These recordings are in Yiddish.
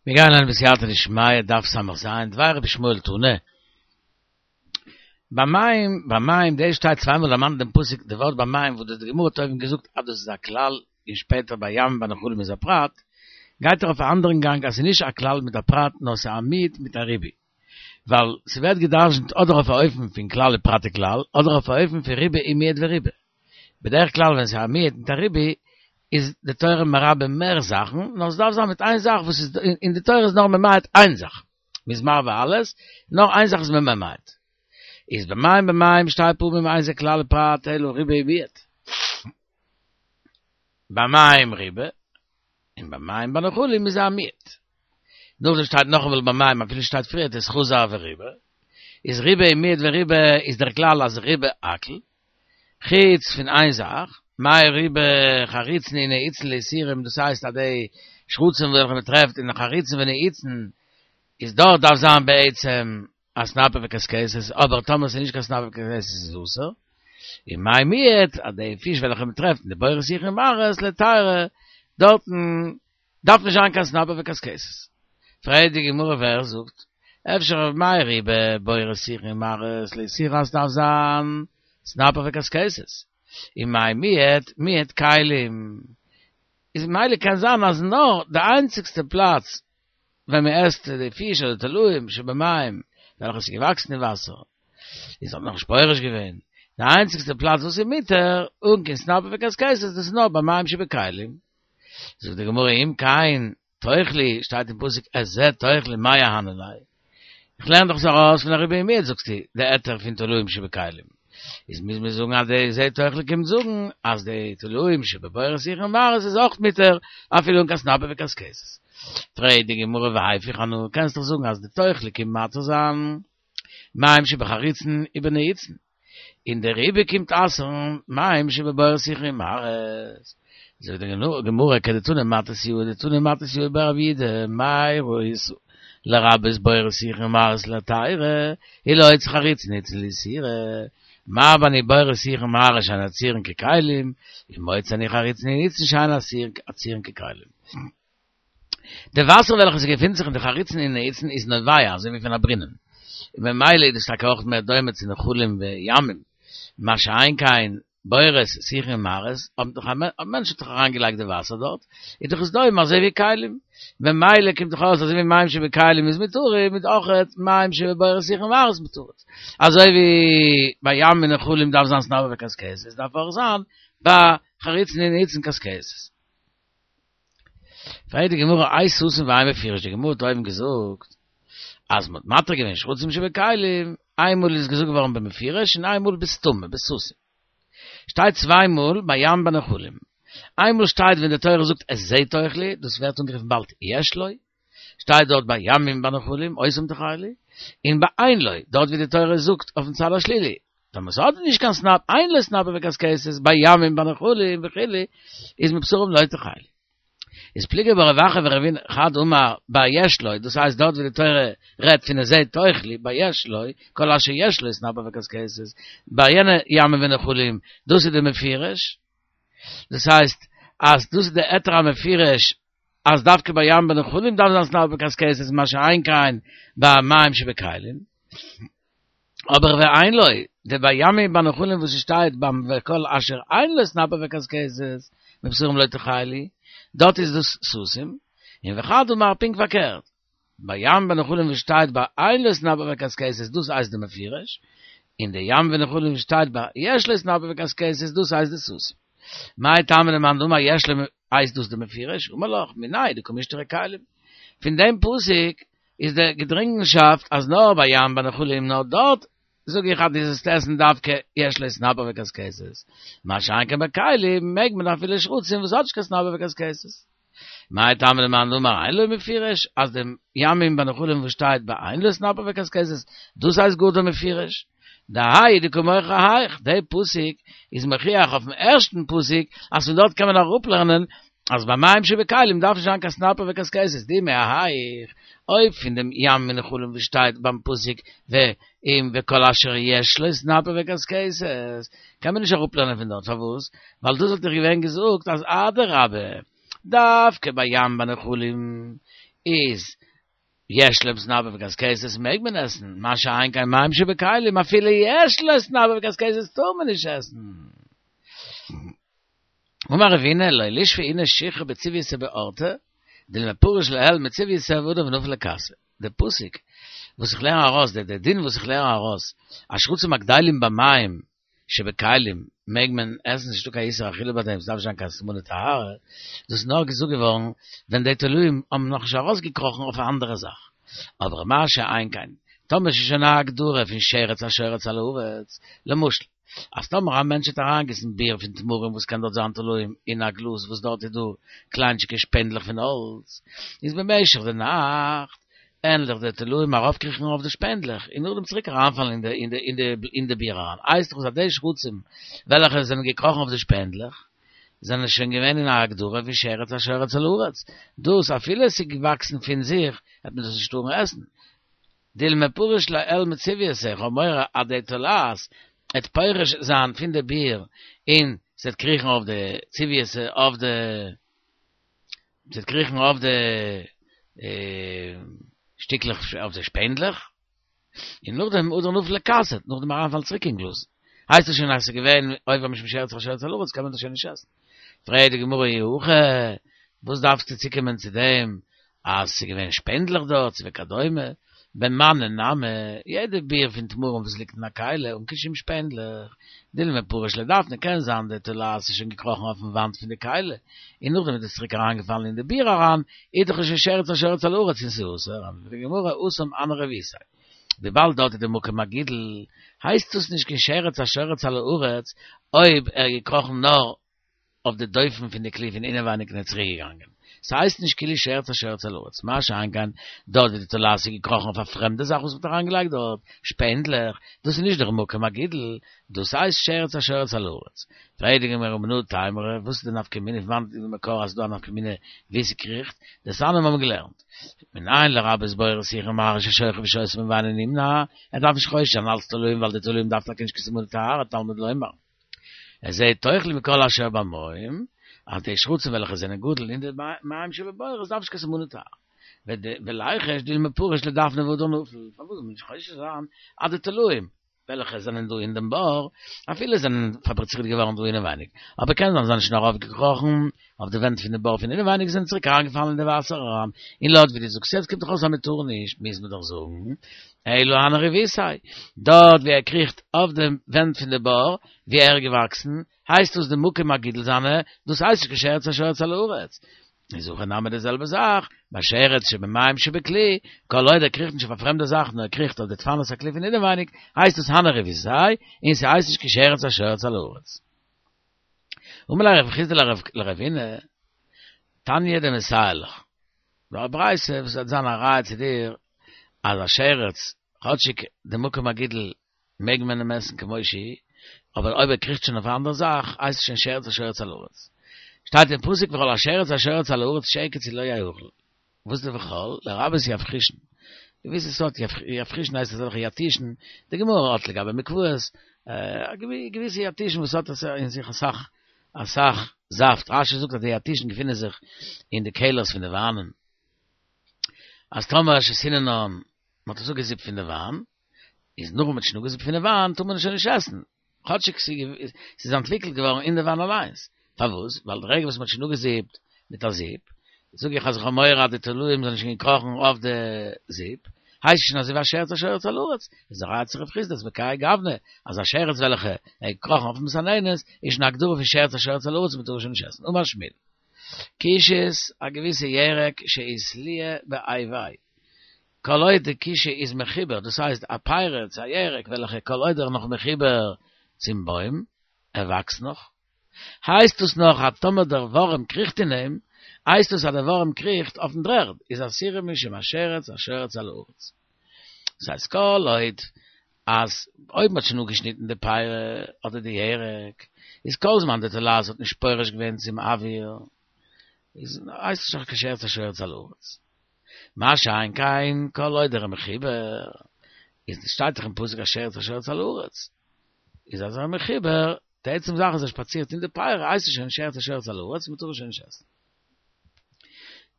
מיר גייען לערנען בסייעתא דשמיא דף ס"ז, דבי רבי ישמעאל תנא. במים, במים, דא שטייט צוויי מאל דערמאנט דעם פסוק די ווארט במים וואס די גמרא האט אויבן געזאגט אז דאס איז א כלל און שפעטער בימים ובנחלים איז א פרט, גייט ער אויף א אנדערן גאנג אז ס'איז נישט א כלל מיט א פרט נאר ס'איז א מיעוט מיט א ריבוי. ווייל ס'ווערט גע'דרש'נט אדער אויף א אופן פון כלל ופרט וכלל אדער אויף א אופן פון ריבוי און מיעוט וריבוי. בדרך כלל ווען ס'איז א מיעוט מיט א ריבוי איז די תורה מרבה מער זאכן, נאר ס'דארף זיין מיט איין זאך וואס איז אין די תורה איז נאר ממעט איין זאך, מ'איז מרבה אלעס, נאר איין זאך איז מען ממעט. איז במים במים שתי פעמים אין זה כלל ופרט אלא ריבוי ומיעוט. במים ריבה, און במים בנחלים איז א מיעוט. נאכדעם שטייט נאכאמאל במים אפילו שטייט פריערט איז חזר וריבה, איז ריבה און מיעוט וריבה איז דער כלל אז ריבה הכל, חוץ פון איין זאך, מאי ריבה חריצין ונעיצין לאיסורא, דאס הייסט אז די שרצים וועלכע מען טרעפט אין חריצין ונעיצין, איז דארט דארף זיין בעצם א סנפיר וקשקשת, אבער טאמער ס'איז נישט קיין סנפיר וקשקשת איז אסור, און מאי מיעוט, אז די פיש וועלכע מען טרעפט אין די בורות שיחין ומערות להיתרא, דארטן דארף נישט זיין קיין סנפיר וקשקשת. פרעגט די גמרא ווער זאגט? אפשר מאי ריבה בורות שיחין ומערות לאיסורא אז ס'דארף זיין סנפיר וקשקשת. און מאי מיעוט מיעוט כלים. איז ממילא קען זיין אז נאר די איינציגסטע פלאץ ווען מען עסט די פיש אדער תולעים שבמים וועלכע איז געוואקסן אין וואסער איז האט נאכנישט פורש געווען די איינציגסטע פלאץ וואס איז מותר אן קיין סנפיר וקשקשת דאס איז נאר במים שבכלים. זאגט די גמרא אם כן תאכלי, שטייט אין פסוק את זה תאכלי מאי אהני ליה, איך לערן דאך עס ארויס פון א ריבוי ומיעוט זאגסטו די היתר פון תולעים שבכלים, איז מוז מען זאגן אז די זה תאכלי קומט זאגן אז די תולעים שבבורות שיחין ומערות איז אויך מותר אפילו אן קיין סנפיר וקשקשת. פרעגט די גמרא והיפוך אנא, קענסט דאך זאגן אז די תאכלי קומט מתיר זיין מים שבחריצין ובנעיצין. און דער ריבוי קומט אסר'ן מים שבבורות שיחין ומערות. זאגט די גמרא כדתנא מתתיהו דתני מתתיהו בר רב יהודה מה ראית לרבות בורות שיחין ומערות להיתרא ולהוציא חריצין ונעיצין לאיסורא מרבה אני בורות שיחין ומערות שאין עצירין ככלים ומוציא אני חריצין ונעיצין שאין עצירין ככלים. די וואסער וועלכע ס'געפינט זיך אין די חריצין און נעיצין איז נובע אזוי ווי פון א ברינען, און ממילא איז דאס טאקע אויך מער דומה צו נחלים וימים, מה שאין כן בורות, שיחין און מערות, האבן דאך א מענטש האט דאך אריינגעלייגט די וואסער דארט, איז דאך עס דומה אזוי ווי כלים, ממילא קומט דאך אויס אזוי ווי מים שבכלים איז מותרים, איז אויכעט מים שבבורות שיחין ומערות מותרות. אזוי ווי ביי ים און נחלים דארף זיין סנפיר וקשקשת, דארף אויך זיין ביי חריצין און נעיצין קשקשת. פרעגט די גמרא האי סתים והאי מפורש, די גמרא האט אויבן געזאגט אז מ'האט מתיר געווען שרצים שבכלים, איינמאל איז געזאגט געווארן במפורש און איינמאל בסתמא, בסתים. שטייט צוויי מאל בים בנחלים. איינמאל שטייט ווען די תורה זאגט את זה תאכלי, דאס ווערט אנגערופן באלד יש לו, שטייט דארט בימים בנחלים אותם תאכלי, און ביי אין לו, דארט ווי די תורה זאגט אויפן צד השלילי, טאמער ס'האט נישט קיין סנפיר, אין לו סנפיר וקשקשת, בימים בנחלים וכו', איז מבשרם לא תאכלו. איז פליגי בה רב אחא ורבין חד אמר ביי יש לו, דאס הייסט דארט ווי די תורה רעדט פון את זה תאכלי, ביי יש לו, כל אשר יש לו סנפיר וקשקשת, ביי יענע ימים ונחלים, דאס איז די מפורש, דאס הייסט אז דאס איז די היתר המפורש אז דווקא ביי ים בנחלים דארף זיין סנפיר וקשקשת מה שאין כן ביי מים שבכלים, אבער ואין לו, די בימים בנחלים וואס ס'שטייט ביים וכל אשר אין לו סנפיר וקשקשת מבשרם לא תאכלו, דארט איז דאס סתים, און וחד אמר פונקט פארקערט, בים ונחלים וואס שטייט ביי אין לו סנפיר וקשקשת דאס הייסט די מפורש, און די ים ונחלים וואס שטייט ביי יש לו סנפיר וקשקשת דאס הייסט די סתים. מאי טעמא למאן דאמר יש לו הייסט דאס די מפורש, אמר לך, מיניה דקא משתרי כלים. פון דעם פסוק איז די געדרינגענשאפט אז נאר ביי ים בנחלים נאר דארט זאג איך אז דו זאלסט עסן דווקא יש לו סנפיר וקשקשת, מה שאין כן ביי כלים מעג מען אפילו שרצים וואס האט נישט קיין סנפיר וקשקשת. מאי טעמא למאן דאמר אין לו מפורש, אז די ימים בנחלים וואס שטייט ביי אין לו סנפיר וקשקשת, דאס הייסט גאר די מפורש. דהאי דקא מוכח אהיך, די פסוק איז מוכיח אויפן ערשטן פסוק אז פון דארט קען מען אראפלערנען אז ביי מים שבכלים דארף נישט זיין קיין סנפיר וקשקשת, דאי מהיך, אויב פון דעם ים ונחלים וואס שטייט ביים פסוק ואם וכל אשר יש לו סנפיר וקשקשת קען מען נישט אראפלערנען פון דארט, פארוואס? ווייל דאס וואלט איך געווען געזאגט אז אדרבה דווקא ביי ים בנחלים. איז יש להם סנפיר וקשקשת מעג מען עסן, מה שאין כן מים שבכלים אפילו יש לו סנפיר וקשקשת טאר מען נישט עסן. אמר רבינא לא לישפי איניש שכרא בצביותא באורתא, דילמא פריש לעיל מצביותא והדר ונפיל לכסה. דער פסוק וואס איך לערן ארויס, דער דין וואס איך לערן ארויס, אז שרצים הגדלים במים שבכלים מעג מען עסן ס'נישטא קיין איסור אכילה ביי דעם ס'דארף נישט זיין קיין סימני טהרה, דאס איז נאר געזאגט געווארן ווען די תולעים האבן נאכנישט ארויסגעקראכן אויף א אנדערע זאך, אבער מה שאין כן טאמער ס'איז שוין א הגדרה פון שרץ השורץ על הארץ, למשל אז טאמער א מענטש האט אריינגעגיסן ביר פון תמרים וואס קען דארט זיין תולעים אין א גלאז וואס דארט איז דא קליינטשיגע שפענדלעך פון האלץ, איז במשך די נאכט וועלן דאך די תולעים ארויפקריכן אויף די שפענדלעך און נאכדעם צוריק אריינפאלן אין די אין די אין די אין די ביר אריין. הייסט דאך אז די שרצים וועלכע זענען געקראכן אויף די שפענדלעך זענען שוין געווען אין א הגדרה ווי שרץ השורץ על הארץ. דאס אפילו עס איז געוואקסן פון זיך וועט מען דאס נישט טארן עסן. דילמא פריש לעיל מצביותא, איך האב מורא אז די תולעת וועט פורש זיין פון די ביר און ס'וועט קריכן אויף די צביותא אויף די ס'וועט קריכן אויף די שטיקלעך אויף די שפענדלעך, און נאכדעם הדר נפיל לכסה, נאכדעם אריינפאלן צוריק אין גלאז. הייסט עס שוין אז ס'איז געווען עובר משום שרץ השורץ על הארץ קען מען דאס שוין נישט עסן. פרעגט די גמרא אי הכי, וואס דארפסטו צוקומען צו דעם אז ס'איז געווען שפענדלעך דארט וכדומה, במנא נמי, יעדע ביר פון תמרים וואס ליגט אין א כלי אן קיין שום שפענדלעך, דילמא פריש לדפנא קען זיין די תולעת איז שוין געקראכן אויפן וואנט פון די כלי, און נאכדעם איז עס צוריק אריינגעפאלן אין די ביר אריין, איז דאך שוין שרץ השורץ על הארץ און ס'איז אסור, ענטפערט די גמרא התם הני ריבותיה. וויבאלד דארט איז די מקום הגידול, הייסט דאס נישט קיין שרץ השורץ על הארץ אויב ער איז געקראכן נאר אויף די דופן פון די כלי פון אינעווייניג און איז צוריק געגאנגען. ס'הייסט נישט כאילו שרץ השורץ על הארץ. מה שאין כן דארט ווי די תולעת איז געקראכן אויף א פרעמדע זאך וואס מ'האט אריינגעלייגט דארט, שפענדלעך, דאס איז נישט דער מקום הגידול, דאס הייסט שרץ השורץ על הארץ. פרעגט די גמרא מנא תימרא, וואס איז די נפקא מינה, פון וואנעט איז די מקור אז ס'איז דא א נפקא מינה ווי ס'קריכט, דתניא מיר האבן געלערנט. מנין לרבות בורות שיחין ומערות ששוכב ושותה בהן ואינו נמנע, ער דארף נישט חושש זיין אלץ תולעים ווייל די תולעים דארף טאקע נישט קיין סימני טהרה תלמוד לומר. את זה תאכלו מכל אשר במים, אז די שרצים וועלכע זענען גדל אין די מים שבבורות דארף נישט קיין סימני טהרה. וליחוש דילמא פריש לדפנא והדר נפיל, פארוואס זאל מען נישט חושש זיין אז די תולעים וועלכע זענען דא אין דעם בור, אפילו זענען פאבריצירט געווארן דא אינעווייניג, אבער קען זיין זיי זענען שוין ארויפגעקראכן אויף די ווענט פון די בור פון אינעווייניג זענען צוריק אריינגעפאלן אין די וואסער אריין, און לויט ווי דו זאגסט יעצט קומט דאך אויס אז מען טאר נישט, מוז מען דאך זאגן אלא הני ריבותיה, דארט ווי ער קריכט אויף די ווענט פון די בור ווי ער איז געוואקסן, הייסט דאס די מקום הגידול זיינע, דאס הייסט נישט קיין שרץ השורץ על הארץ. איז הכא נמי די זעלבע זאך, ביי שרץ שבמים שבכלי, כל עוד ער קריכט נישט אויף א פרעמדע זאך נאר ער קריכט אויף די דפנות הכלי פון אינעווייניג, הייסט דאס הני ריבותיה, און ס'הייסט נישט קיין שרץ השורץ על הארץ. אמר ליה רב חסדא לרבינא, תניא דמסייע לך. דא א ברייתא וואס וועט זיין א ראיה צו דיר אז א שרץ, כאטשיג די מקום הגידול מעג מען אים עסן כמו שהיא, אבער אויב ער קריכט שוין אויף א אנדערע זאך הייסט עס שוין שרץ השורץ על הארץ. שטייט אין פסוק וכל השרץ השורץ על הארץ שקץ הוא לא יאכל. וואס איז די וכל? לרבות יבחושין. געוויסע סארט יבחושין הייסט אזעלכע יתושין, די גמרא האט לגבי מקוואות, געוויסע יתושין וואס האט אין זיך אסאך אסאך זאפט, רש"י זאגט אז די יתושין געפינען זיך אין די קעלערס פון די וויינען, אז טאמער שתיננן, מען האט עס אפגעזיפט פון די וויין, איז נאך וואס מען האט שוין אפגעזיפט פון די וויין טאר מען עס שוין נישט עסן, כאטשיג ס'איז אנטוויקלט געווארן אין די וויין אליינס. פארוואס? ווייל די רגע וואס מ'האט שוין אפגעזיפט מיט א זיפ, זאג איך אז איך האב מורא אז די תולעים זענען שוין געקראכן אויף די זיפ, הייסט עס שוין אזוי ווי א שרץ השורץ על הארץ, איז א ראיה צו רב חסדא אז בכהאי גוונא, אז א שרץ וועלכע איז געקראכן אויף מסננת איז שוין א הגדרה פון שרץ השורץ על הארץ און מ'טאר עס שוין נישט עסן. אמר שמואל. קישית, א געוויסע ירק שאיתליה באיביה. כל עוד די קישא איז מחובר, דאס הייסט א פרי צו א ירק וועלכע כל עוד ער איז נאך מחובר צום בוים, ער וואקסט נאך, הייסט דאס נאך אז טאמער דער ווארעם קריכט אין אים, הייסט דאס אז דער ווארעם קריכט אויפן דר'ערד, איז אסורה משום השרץ השורץ על הארץ. דאס הייסט כל עוד אז אויב מ'האט שוין אפגעשניטן די פרי אדער די ירק, איז כל זמן די תולעת האט נישט פורש געווען צום אוויר, איז הייסט עס נאך כשרץ השורץ על הארץ. מה שאין כן כל עוד ער איז מחובר, איז שטייט דאך אין פסוק השרץ השורץ על הארץ, איז אז ער איז מחובר, די עצם זאך אז ער שפאצירט אין די פרי הייסט עס שוין שרץ השורץ על הארץ, מ'טאר עס שוין נישט עסן.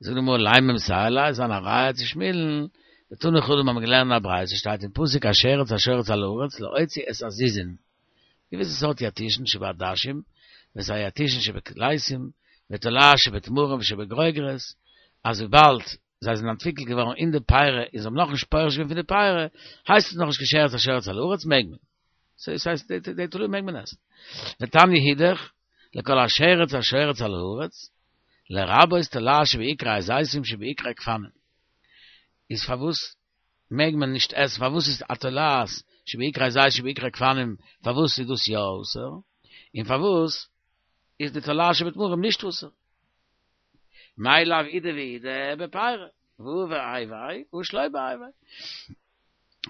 זאגט די גמרא לימא מסייע ליה, זיין א ראיה צו שמואל'ן, דתני חדא מ'האבן געלערנט אין א ברייתא שטייט אין פסוק השרץ השורץ על הארץ להוציא את הזיזין, געוויסע סארט יתישן שבעדשים ואת היתישן שבקלייסים ותולעת שבתמרים ושבגרוגרות, אז וויבאלד זיי זענען אנטוויקלט געווארן אין די פרי און זיי האבן נאכנישט פורש געווען פון די פרי, הייסט עס נאכנישט קיין שרץ השורץ על הארץ מעג מען. ס'הייסט די תולעים מעג מען עסן. ותניא אידך, לכל השרץ השורץ על הארץ, לרבות תולעת שבעיקרי הזיתים שבעיקרי גפנים. איז פארוואס מעג מען נישט עסן? פארוואס איז א תולעת שבעיקרי זית שבעיקרי גפנים פארוואס איז דאס יא אסור? און פארוואס איז די תולעת שבתמרים נישט אסור? מאי לאו אידי ואידי בפירא, והא בהאי והא שלא בהאי והאי.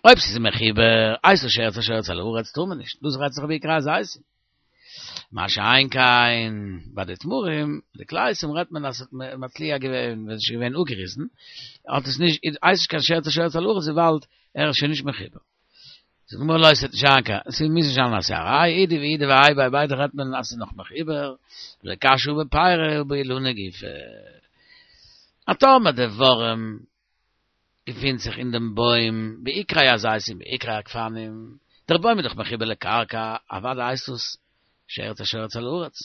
אויב ס'איז מחובר, הייסט עס שרץ השורץ על הארץ טאר מען נישט, דאס רעדט זיך בעיקרי הזיתים. מה שאין כן ביי די תמרים, די קלייסים רעדט מען אז ס'האט מצליח געווען ווען ס'איז שוין געווען אפגעריסן, האט עס נישט, הייסט נישט קיין שרץ השורץ על הארץ וויבאלד ער איז שוין נישט מחובר. זאגט די גמרא לא ס'וועט נישט זיין קיין, ס'מוז נישט זיין אז ס'איז א ראיה, אידי ואידי בהאי והאי ביידע רעדט מען אז ס'איז נאך מחובר, ולא קשיא הא בפירא הא באילנא גופא. אז טאמער די ווארעם געפינט זיך אין דעם בוים בעיקרי הזיתים בעיקרי הגפנים, דער בוים איז דאך מחובר לקרקע, אוודאי הייסט עס שרץ השורץ על הארץ.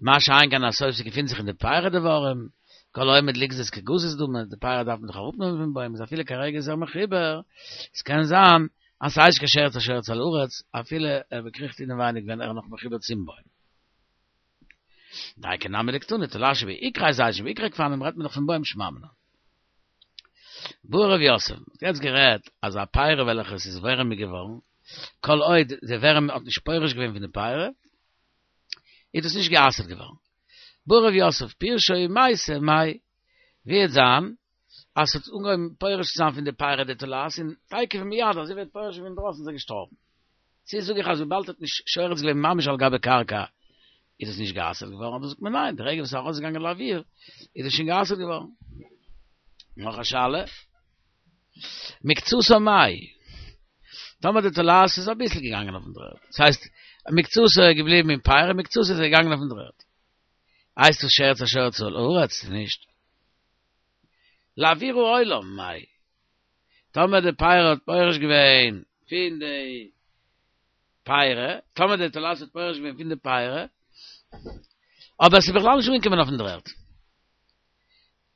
מה שאין כן אז אויב ס'געפינט זיך אין די פירי די ווארעם, כל העומד ליגזז כגזוז דמי, די פירי דארף מען דאך אראפנעמען פון בוים, איז אפילו כרגע איז ער מחובר, עס קען זיין אז ס'הייסט נישט קיין שרץ השורץ על הארץ, אפילו ער באקריכט אינעווייניג ווען ער איז נאך מחובר צום בוים. דייקא נמי דקתני, תולעת שבעיקרי זיתים שבעיקרי גפנים רעדט מען דאך פון בוים שמע מינה. בעי רב יוסף, מ'האט יעצט גערעדט אז א פירא וועלכע עס איז ווערעמיג געווארן, כל עוד די ווערעם האט נישט פורש געווען פון די פירא, איז דאס נישט גע'אסר'ט געווארן. בעי רב יוסף, פירשה ומתה מאי, ווי וועט זיין אז ס'האט אנגעהויבן פורש צו זיין פון די פירא די תולעת און תיכף ומיד אזוי ווי ער האט פורש געווען אינדרויסן איז ער געשטארבן. צו זאג איך אז וויבאלד ער האט נישט שורץ געווען ממש על גבי קרקע איז עס נישט גע'אסר'ט געווארן, אדער זאגט מען ניין, די רגע וואס ס'איז ארויסגעגאנגען לאוויר איז עס שוין גע'אסר'ט געווארן. נאך א שאלה. מקצתה מאי. טאמער די תולעת איז אביסל געגאנגען אויפן דר'ערד. דאס הייסט, מקצתה איז געבליבן אין פירא, מקצתה איז געגאנגען אויפן דר'ערד. הייסט עס שרץ השורץ על הארץ צו נישט? לאוויר העולם מאי. טאמער די פירא האט פורש געווען פון די פירא, טאמער די תולעת האט פורש געווען פון די פירא, אבער עס איז בכלל נישט אנגעקומען אויפן דר'ערד.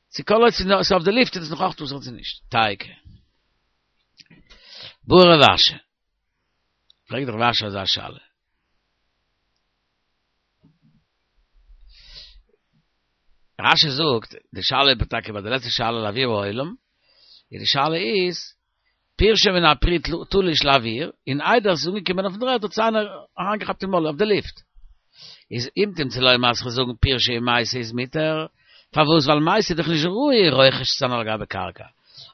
צו כל עוד ס'איז אויף די לופט איז עס נאך אויך אסור צו נישט. תיקו. בעי רב אשי. פרעגט רב אשי אזא שאלה. רשי זאגט, די שאלה איז טאקע ביי די לעצטע שאלה לאוויר העולם, און די שאלה איז, פירשה מן הפרי תלוש לאוויר, און איידער עס איז אנגעקומען אויפן דר'ערד האט עס איינער אריינגעכאפט אין מויל אויף די לופט. איז אם תמצא לומר אז כ'זאל זאגן פירשה ומתה איז מותר, פארוואס? ווייל מתה איז דאך נישט ראוי רוכש צו זיין על גבי קרקע,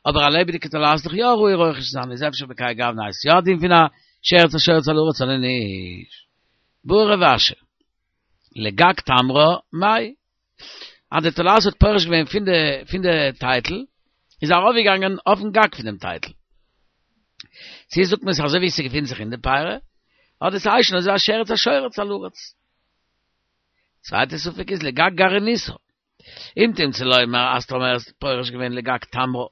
אבער א לעבעדיגע תולעת איז דאך יא ראוי רוכש צו זיין, איז אפשר בכהאי גוונא איז יא א דין פון א שרץ השורץ על הארץ אדער נישט? בעי רב אשי, לגג תמרה מאי? אז די תולעת האט פורש געווען פון די פון די טייטל, איז ארויפגעגאנגען אויפן גג פון דעם טייטל. צו זאגט מען עס אזוי ווי ס'געפינט זיך אין די פירא, אדער ס'הייסט שוין אזוי א שרץ השורץ על הארץ. צווייטע ספק איז לגג גרעיניתא. אם תמצא לומר אז טאמער איז פורש געווען לגג תמרה,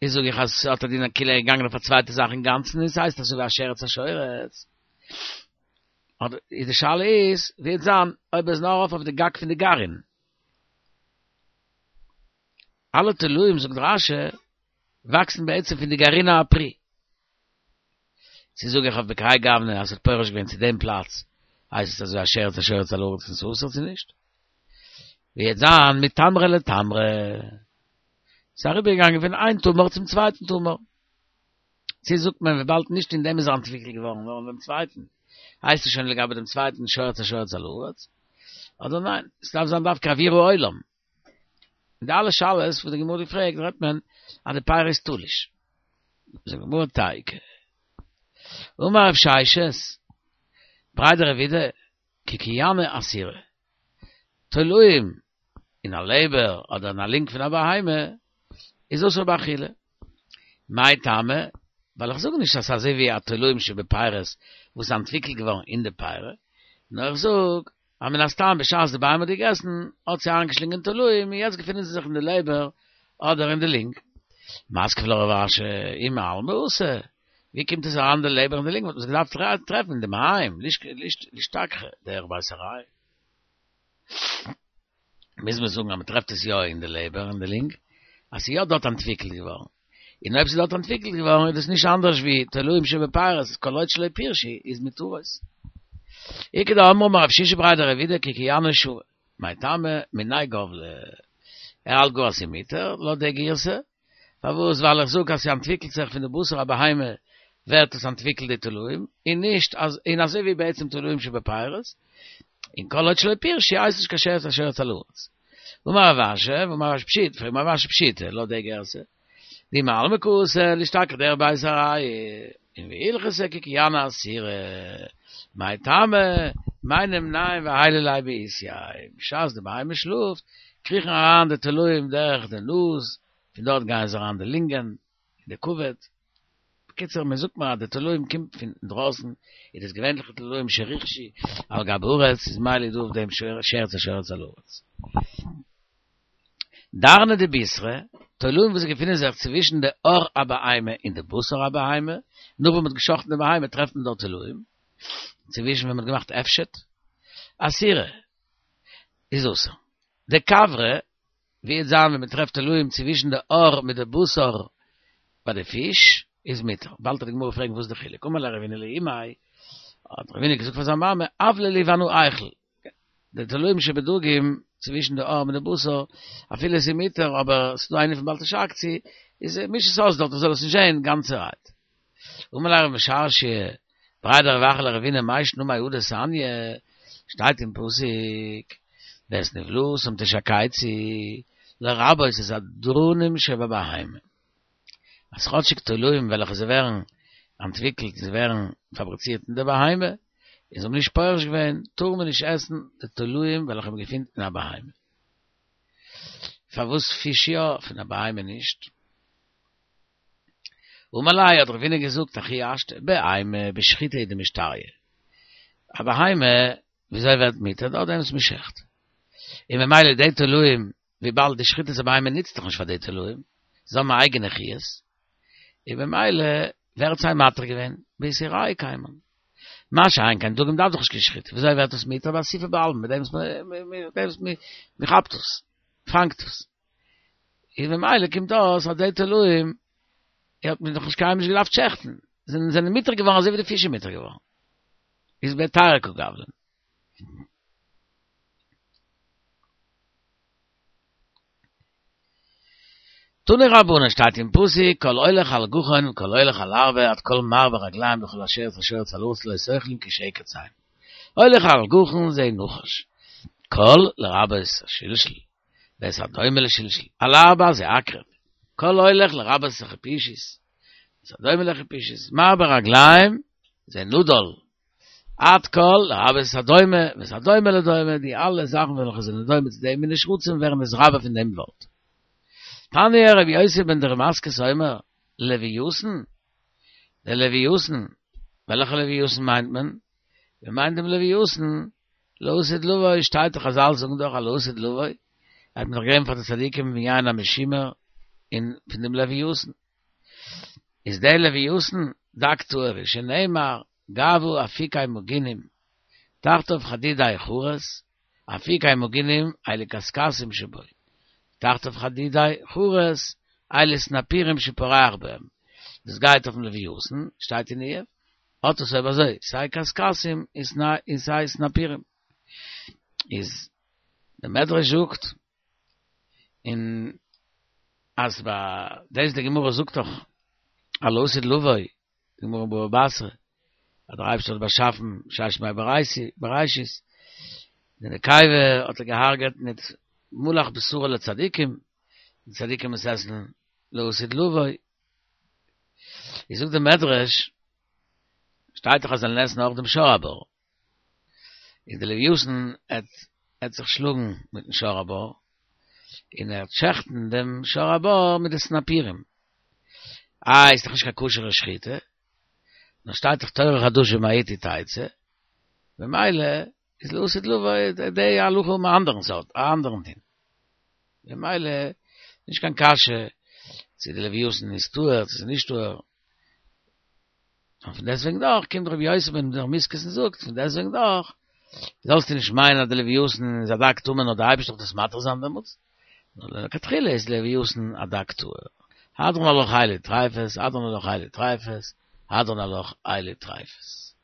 איז זאג איך אז ס'האט א דין אז כאילו ער איז געגאנגען אויף א צווייטע זאך אינגאנצן און ס'הייסט אזוי ווי א שרץ השורץ. אדער איז די שאלה איז ווי וועט זיין אויב ער איז נאר ארויף אויף די גג פון די גרעין. אלע תולעים זאגט רש"י וואקסן בעצם פון די גרעיני הפרי. צו זאג איך אויף בכהאי גוונא אז ס'האט פורש געווען צו דעם פלאץ הייסט עס אזוי א שרץ השורץ על הארץ און ס'אסור צו נישט? ווי וועט זיין מתמרה לתמרה. ס'איז אריבערגעגאנגען פון איין תמר צום צווייטן תמר. צו זאגט מען וויבאלד נישט אין דעם איז ער אנטוויקלט געווארן נאר אין דעם צווייטן, הייסט עס שוין לגבי דעם צווייטן שרץ השורץ על הארץ? אדער ניין, עס דארף זיין דווקא אוויר העולם. אין די אלע שאלות וואס די גמרא האט געפרעגט רעדט מען אז די פירא איז תלוש. זאגט די גמרא תיקו. אמר רב ששת, בריה דרב אידי, קוקיאני אסירי. תולעים אין א לעבער אדער אין א לונג פון א בהמה איז אסור באכילה. מאי טעמא? ווייל איך זאג נישט אז ס'איז אזוי ווי א תולעים שבפירות וואס איז אנטוויקלט געווארן אין די פירא, נאר איך זאג. אז מן הסתם בשעת די בהמה האט געגעסן האט זי איינגעשלינגען תולעים און יעצט געפינען זיי זיך אין די לעבער אדער אין די לינג. מתקיף לה רב אשי ומעלמא אתו, ווי קומט עס אריין די לעבער און די לינג וואלט מען עס געדארפט טרעפן אין די מעיים, לישתכחא דרך בית עראי. מוז מען זאגן אז מען טרעפט עס יא אין די לעבער און די לינג, אז ס'איז יא דארט אנטוויקלט געווארן. און אויב ס'איז דארט אנטוויקלט געווארן איז דאס נישט אנדערש ווי תולעים שבפירות, כל עוד שלא פירשו איז מותרות. איכא דאמרי אמר רב שישא בריה דרב אידי כי קיינה שוה, מאי טעמא מיניה גבלה. ער האלט גאר אז ס'איז מותר, לויט די גירסא. פארוואס? ווייל איך זאג אז ס'אנטוויקלט זיך פון די בשר הבהמה ווערט עס אנטוויקלט די תולעים, און נישט אז, און אזוי ווי בעצם תולעים שבפירות, און כל עוד שלא פירשו הייסט נישט קיין שרץ השורץ על הארץ. ואמר רב אשי, ואמר רב אשי פשיטא, פרעגט רב אשי פשיטא, לויט די גירסא, דאי מעלמא קאתי לישתכח דרך בית עראי, און והלכתא כי קיינה אסירא, מאי טעמא, מאי נימנעון ועיילי ליה בעיתיה, בשעת די בהמה שלאפט, קריכן אריין די תולעים דורך די נאז, פון דארט גייען זיי אריין די לונגען, און די כבד. בקיצור, מען זאגט מיר אז די תולעים קומט פון אינדרויסן, איז דאס געווענליכע תולעים שריחשו על גבי הארץ, איז ממילא דא אויף דעם שרץ השורץ על הארץ. דארנא דבישרא, תולעים וואס געפינען זיך צווישן די עור הבהמה און די בשר הבהמה, נאך ווען מען האט געשחט'ן די בהמה טרעפט מען דארט תולעים, צווישן ווען מען האט געמאכט אפשט, אסירי, איז אסור. דכוורי, ווי וועט זיין ווען מען טרעפט תולעים צווישן די עור מיט די בשר ביי די פיש, איז מותר. באלד וועט די גמרא פרעגן וואס איז די חילוק, אמר ליה רבינא לאימיה, האט רבינא געזאגט פאר זיין מאמע, אבלי לי ואנא איכול, די תולעים שבדגים צווישן די עור מיט די בשר, אפילו עס איז מותר אבער עס איז דא איינער פון בל תשקצו, איז מיש עס אויס דארט איך זאל עס נישט זען גאנצערהייט. אמר ליה רב משרשיא, בריה דרב אחא לרבינא מאי שנא מהא דתניא, שטייט אין פסוק, ואת נבלתם תשקצו, לרבות את הדרנים שבבהמה. אז כאטשיג תולעים וועלכע זיי ווערן אנטוויקלט און זיי ווערן פאבריצירט אין די בהמה, און זיי האבן נישט פורש געווען, טאר מען נישט עסן די תולעים וועלכע מען געפינט אין א בהמה. פארוואס פיש יא, פון א בהמה נישט? אמר ליה האט רבינא געזאגט הכי השתא, בהמה בשחיטה הוא דמשתריא. א בהמה וויאזוי ווערט מותר? דורך דעם וואס מען שעכט. און ממילא די תולעים וויבאלד די שחיטת הבהמה נוצט דאך נישט פאר די תולעים, זיי האבן א אייגענע חיות, און במילא ווער האט זיי מתיר געווען? באיסורייהו קיימן. מה שאין כן דגים דארף דאך נישט קיין שחיטה, וויאזוי ווערט עס מותר? באסיפה בעלמא, מיט דעם וואס מען כאפט עס, פאנגט עס. און במילא קומט אויס אז די תולעים האט מען דאך נישט קיינמאל נישט געדארפט שעכטן, זענען זענען מותר געווארן אזוי ווי די פיש איז מותר געווארן. איז בהיתרא קא גבלן. תנו רבנן שטייט אין פסוק כל הולך על גחון כל הולך על ארבע עד כל מרבה רגלים לכל השרץ השורץ על הארץ לא תאכלון כי שקץ הם הולך על גחון זה נחש כל לרבות השלשול ואת הדומה לשלשול על ארבע זה עקרב כל הולך לרבות החפישית ואת הדומה לחפישית מרבה רגלים זה נדל עד כל לרבות הדומה ואת הדומה לדומה, די אלע זאכן וועלכע זענען דומה צו די מיני שרצים ווערן נתרבה פון דעם ווארט. תניא רבי יוסי בן דרמסקס אומר, לויתן, דער לויתן, וועלכע לויתן מיינט מען? מען מיינט דעם לויתן לעתיד לבוא, שטייט דאך חזל זאגן דאך אז לעתיד לבוא, האט מען דאך געגעבן פאר די צדיקים פון יין המשומר און פון דעם לויתן. איז דער לויתן דג טהור שנאמר גאוה אפיקי מגינים תחתיו חדידי חרת אפיקי מגינים אלו קשקשים שבו תחתיו חדידי חרת אלו סנפירים שפורח בהם דאס גייט אויפן לויתן שטייט אין איוב האט עס אויב אזוי סיי קשקשים און סיי סנפירים איז דער מדרש זאגט און אז ביי דאס די גמרא זאגט דאך אז לעתיד לבוא, די גמרא אין בבא בתרא, אז דער אייבערשטער האט באשאפן ששת ימי בראשית, די נקבה האט ער געהארגעט מיט מלח בשרו לצדיקים, די צדיקים עס עסן לעתיד לבוא. איז זאגט די מדרש, שטייט דאך אז זיי זאלן עסן אויך דעם שור הבר, איז די לויתן עט זיך שלאגן מיטן שור הבר, און ער וועט שעכטן דעם שור הבר מיט די סנפירים. איי, איז דאך נישט קיין כשר'ע שחיטה, נאר שטייט דאך תורה חדשה מאתי תצא, במילא. איז לעתיד לבוא די הלכה האבן א אנדערן סארט, א אנדערן דין. ממילא נישט קיין קשיא צו די לויתן איז טהור צו ס'איז נישט טהור. און פון דעסטוועגן דאך קומט רבי יוסי בן תרמיסקס און זאגט פון דעסטוועגן דאך זאלסטו נישט מיינען אז די לויתן איז א דג טמא נאר די אייבערשטער וועט עס מתיר זיין דעמאלטס, נאר לכתחילה איז לויתן א דג טהור. הדרן עלך אלו טריפות, הדרן עלך אלו טריפות, הדרן עלך אלו טריפות.